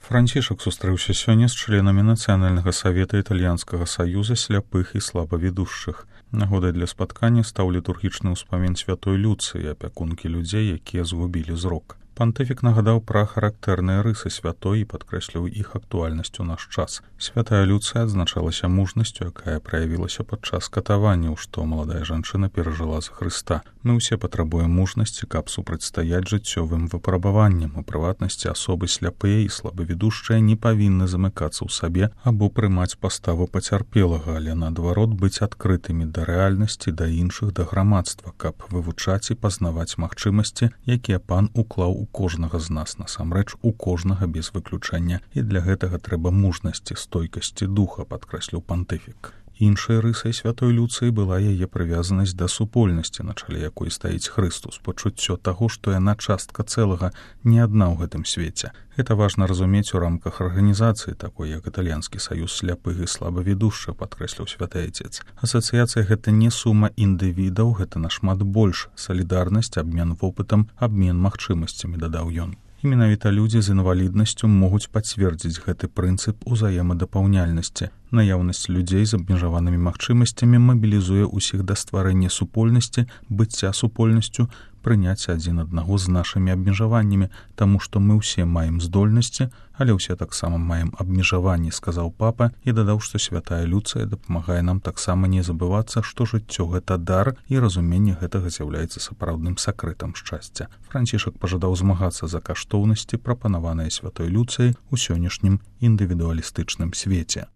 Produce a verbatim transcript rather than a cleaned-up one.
Францішак сустрэўся сёння з членамі Нацыянальнага савета Італьянскага саюза сляпых і слабавідушчых. Нагодай для спаткання стаў літургічны ўспамін святой Люцыі, апякункі людзей, якія згубілі зрок. Пантыфік нагадаў пра характэрныя рысы святой і падкрэсліў іх актуальнасць у наш час. Святая Люцыя адзначалася мужнасцю, якая праявілася падчас катаванняў, што маладая жанчына перажыла за Хрыста. Мы ўсе патрабуем мужнасці, каб супрацьстаяць жыццёвым выпрабаванням. У прыватнасці асобы сляпыя і слабавідушчыя не павінны замыкацца ў сабе або прымаць паставу пацярпелага, але наадварот быць адкрытымі да рэальнасці, да іншых, да грамадства, каб вывучаць і пазнаваць магчымасці, якія пан уклаў у кожнага з нас, насамрэч у кожнага без выключэння, і для гэтага трэба мужнасці, стойкасці духа, падкрэсліў пантыфік. Іншай рысай святой Люцыі была яе прывязанасць да супольнасці, на чале якой стаіць Хрыстус, пачуццё таго, што яна частка цэлага, не адна ў гэтым свеце. Гэта важна разумець у рамках арганізацыі, такой як Італьянскі саюз сляпых і слабавідушчых, падкрэсліў святы айцец. Асацыяцыя гэта не сума індывідаў, гэта нашмат больш. Салідарнасць, абмен вопытам, абмен магчымасцямі, дадаў ён. І менавіта людзі з інваліднасцю могуць пацвердзіць гэты прынцып узаемадапаўняльнасці. Наяўнасць людзей з абмежаванымі магчымасцямі мабілізуе ўсіх да стварэння супольнасці, быцця супольнасцю, прыняцця адзін аднаго з нашымі абмежаваннямі, таму што мы ўсе маем здольнасці, але ўсе таксама маем абмежаванні, сказаў папа, і дадаў, што святая Люцыя дапамагае нам таксама не забывацца, што жыццё гэта дар, і разуменне гэтага з'яўляецца сапраўдным сакрэтам шчасця. Францішак пажадаў змагацца за каштоўнасці, прапанаваныя святой Люцыяй у сённяшнім індывідуалістычным свеце.